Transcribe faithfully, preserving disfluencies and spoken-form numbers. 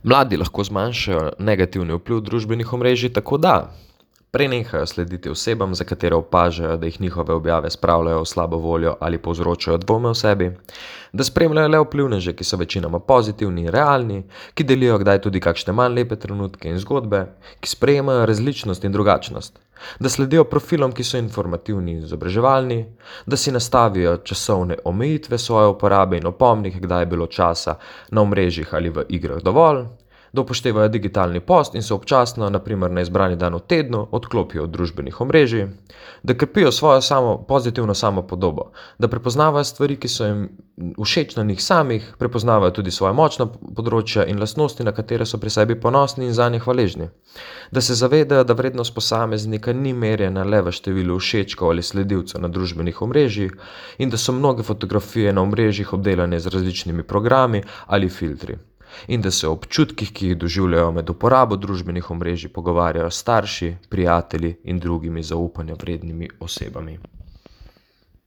Mladi lahko zmanjšajo negativni vpliv družbenih omrežij tako da prenehajo slediti osebam, za katere opažajo, da jih njihove objave spravljajo v slabo voljo ali povzročajo dvome v sebi, da spremljajo le vplivneže, ki so večinoma pozitivni in realni, ki delijo kdaj tudi kakšne manj lepe trenutke in zgodbe, ki sprejemajo različnost in drugačnost, da sledijo profilom, ki so informativni in izobraževalni, da si nastavijo časovne omejitve svoje uporabe in opomnik, kdaj je bilo časa na omrežjih ali v igrah dovolj, da upoštevajo digitalni post in se občasno, na primer na izbrani dan v tednu, odklopijo od družbenih omrežij, da krepijo svojo samo, pozitivno samopodobo, da prepoznavajo stvari, ki so jim všeč na njih samih, prepoznavajo tudi svoja močna področja in lastnosti, na katere so pri sebi ponosni in zanje hvaležni, da se zavedajo, da vrednost posameznika ni merjena le v številu všečkov ali sledilcev na družbenih omrežjih in da so mnoge fotografije na omrežjih obdelane z različnimi programi ali filtri. In da se o občutkih, ki jih doživljajo med uporabo družbenih omrežij, pogovarjajo s starši, prijatelji in drugimi zaupanja vrednimi osebami.